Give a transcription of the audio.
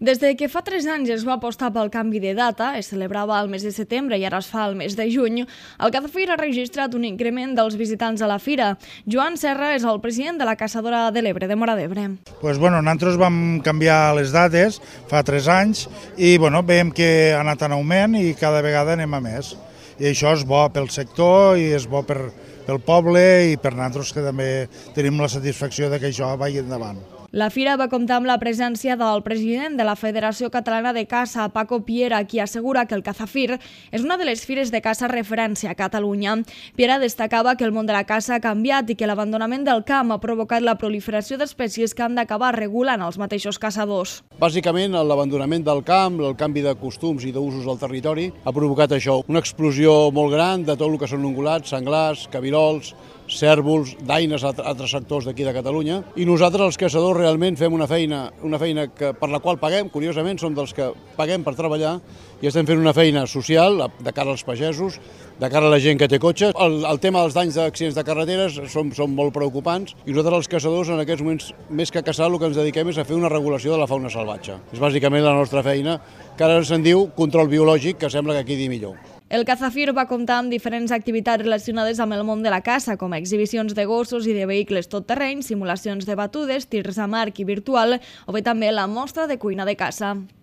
Des de que fa 3 anys es va apostar pel canvi de data, es celebrava al mes de setembre i ara es fa al mes de juny, el Cazafir ha registrat un increment dels visitants a la fira. Joan Serra és el president de la Caçadora de l'Ebre, de Móra d'Ebre. Nosaltres vam canviar les dates fa 3 anys i veiem que ha anat en augment i cada vegada anem a més. I això és bo pel sector i és bo pel poble i per nosaltres, que també tenim la satisfacció de que això vagi endavant. La fira va comptar amb la presència del president de la Federació Catalana de Caça, Paco Piera, qui assegura que el Cazafir és una de les fires de caça referència a Catalunya. Piera destacava que el món de la caça ha canviat i que l'abandonament del camp ha provocat la proliferació d'espècies que han d'acabar regulant els mateixos caçadors. Bàsicament, l'abandonament del camp, el canvi de costums i d'usos del territori ha provocat això, una explosió molt gran de tot el que són ungulats, senglars, cabirols, cérvols, daines a altres sectors d'aquí de Catalunya, i nosaltres els caçadors realment fem una feina per la qual paguem, curiosament som dels que paguem per treballar, i estem fent una feina social de cara als pagesos, de cara a la gent que té cotxes. El tema dels danys d'accidents de carreteres són molt preocupants, i nosaltres els caçadors en aquests moments, més que a caçar, el que ens dediquem és a fer una regulació de la fauna salvatge. És bàsicament la nostra feina, que ara se'n diu control biològic, que sembla que quedi millor. El Cazafir va comptar amb diferents activitats relacionades amb el món de la caça, com exhibicions de gossos i de vehicles tot-terreny, simulacions de batudes, tirs amb arc i virtual, o bé també la mostra de cuina de caça.